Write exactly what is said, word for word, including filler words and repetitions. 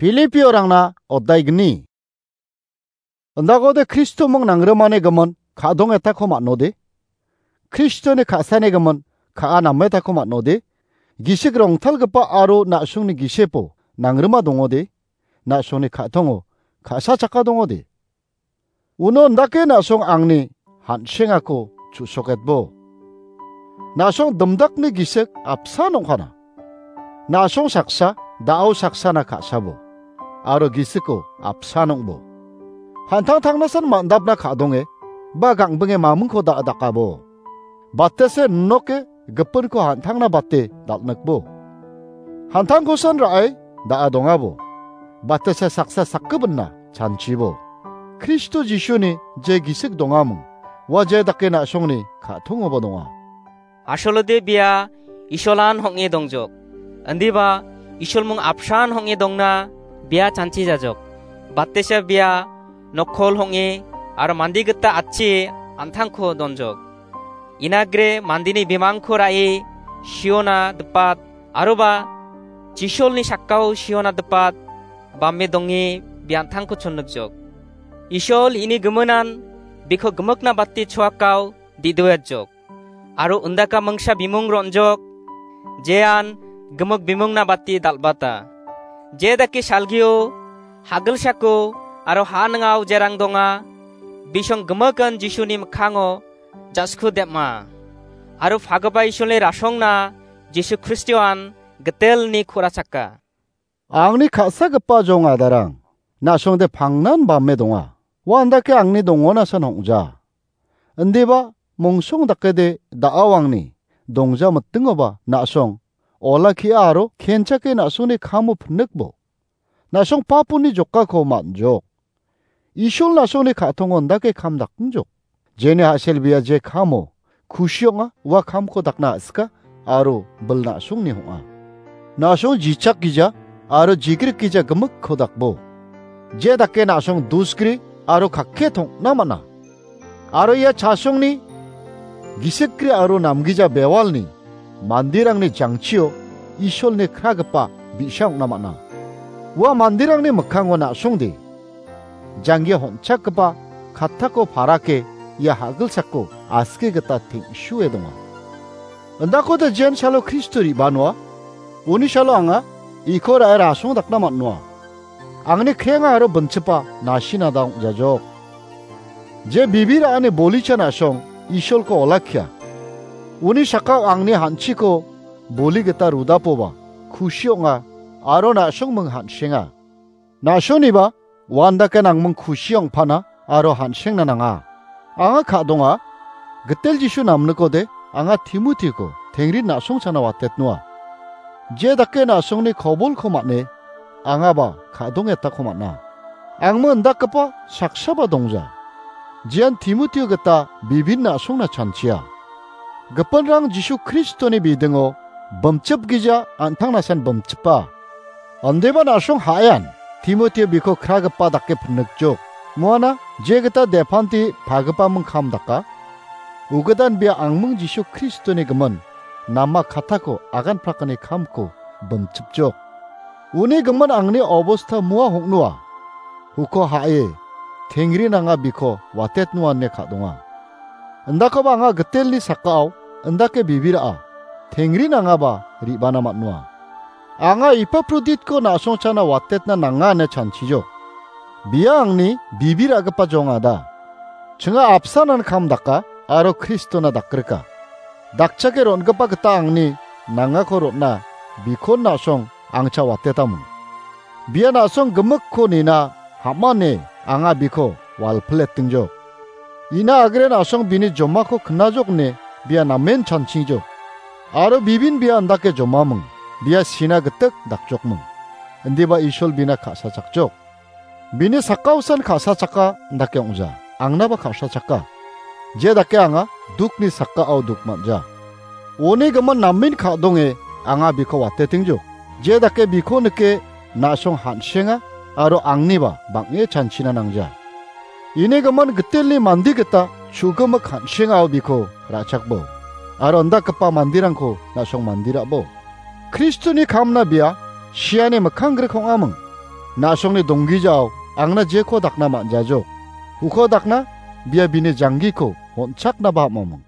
Filipiorangna odaigni. Indakode Kristoming nangrimani gimin ka·dongetako man·ode. Kristoni ka·sani gimin ka·a nametako man·ode. Gisik rongtalgipa aro na·songni gisepo nangrima dongode. Na·songni ka·tongo ka·sa chakka dongode. Uno indake na·song angni han·sengako chu·soketbo. Na·song dimdakni gisik apsan ong·kana. Na·song saksa, da·o saksana ka·sabo. Aro gisiko apsan ong·bo. Han·tang tangnasan man·dapna ka·donge, ba gangbinge mamingko da·dakabo. Batese noke gipinko han·tangna bate dal·nikbo. Han·tangkosan ra·e da·a dongabo. Batese saksa sakgipinna chanchibo. Kristo Jisuni je gisik dongaming, ua je dake na·songni ka·tongoba donga. Asolode bia Isolan hong·e dongjok. Indiba Isolmung apsan hong·e dongna bia chanchi jajok. Batesa bia nokkol hong·e aro mande gita atchi an·tangko donjok. Inagre mandeni bimangko ra·e Siona dipat, aroba Jisolni sakao Siona dipat, bame donge biantangko chonnikjok. Isol ini giminan biko gimikna bate choakao didoetjok. Aro undaka mingsa bimung ron·jok, jean gimik bimungna bate dal·bata. Je dake salgio, hagilsako, aro ha ning·ao jerang donga, bisong gimikan Jisuni mikkango jasku dem·a. Aro pagipa Isolni rasongna Jisu Kristoan gitelni ku·rachaka. Angni ka·sagipa jong adarang, na·songde pangnan bame donga. Ua andake angni dongonasan ong·ja. Indiba mongsong dakede da·ao angni dongja mitingoba na·song olakkia aro kenchake na·songni kamo pinikbo. Na·song papuni jokako man·jok. Isol na·songni ka·tongo indake kam dakngjok. Jeni a·sel bia je kamo kusi ong·a, ua kamko dakna a·sika aro bil na·songni ong·a. Na·song jichak gija aro jigrik gija gimikko dakbo. Je dake na·song dusgri aro kakke tongna man·a. Aro ia chasongni gisikgri aro namgija bewalni manderangni jangchio Isolni kragipa bi·sa ong·na man·a. Ua manderangni mikkango na·songde janggia honchakgipa kattako parake ia hagilsako aske gita teng·sue donga. Indakode jen salo Kristo re·banoa, uni salo anga iko ra·e rasong dakna man·noa. Angni krenga aro binchipa nasina da ong·jajok. Je bibi ra·ani bolicha na·song Isolko olakkia. Uni sakao angni han·chiko boli gita rudapoba kusi ong·a aro na·songming han·senga. Na·songniba uandake nangming kusi ong·pana aro han·sengna nanga. Anga ka·donga, gitel Jisu namnikode anga Timotiko tengrin na·songchana watetnoa. Je dake na·songni kobolko man·e, angaba ka·dongetako man·a. Angmo indakgipa saksaba dongja. Jian Timotio gita bibin na·songna chanchia. Gipinrang Jisu Kristoni bidingo bimchipgija an·tangnasan bimchipa. Andeba na·song ha·ean Timotio biko kragipa dake pinikjok. Muana je gita depanti pagipaming kam daka. Ugidan bia angming Jisu Kristoni gimin nama katako agan prakani kamko bimchipjok. Uni gimin angni obosta mua hong·noa. Uko ha·e, tengri nanga biko watetnoa ine ka·donga. Indakoba anga gitelni sakao indake bibira·a, tengri nangaba re·bana man·noa. Anga Epaproditko na·songchana watetna nanga ine chanchijok. Bia angni bibir·agipa jongada. Chinga apsanan kam daka aro Kristona dakrika. Dakchake ron·gipa gita angni nangako ron·na bikon na·song angcha watetamung. Bia na·song gimikko nina ham·ane anga biko walpiletingjok. Ina agre na·song bini jomako knajok ine bia namen chanchijok. Aro bibin bia indake jomaming, bia sina gitik dakjokming. Indiba Isol bina ka·sachakjok. Bini sakkaosan ka·sachaka indake ong·ja, angnaba ka·sachaka. Je dake anga dukni sakao duk man·ja. Uni gimin namen ka·donge anga biko watetingjok. Je dake biko nike na·song han·senga aro angniba bang·e chanchina nangja. Ini gimin gitelni mande gita chu·gimik han·sengao biko ra·chakbo. Aro indakgipa manderangko na·song manderabo. Kristoni kamna bia siani mikkang grik ong·aming. Na·songni donggijao angna jeko dakna man·jajok. Uko dakna bia bini janggiko on·chaknaba am·oming.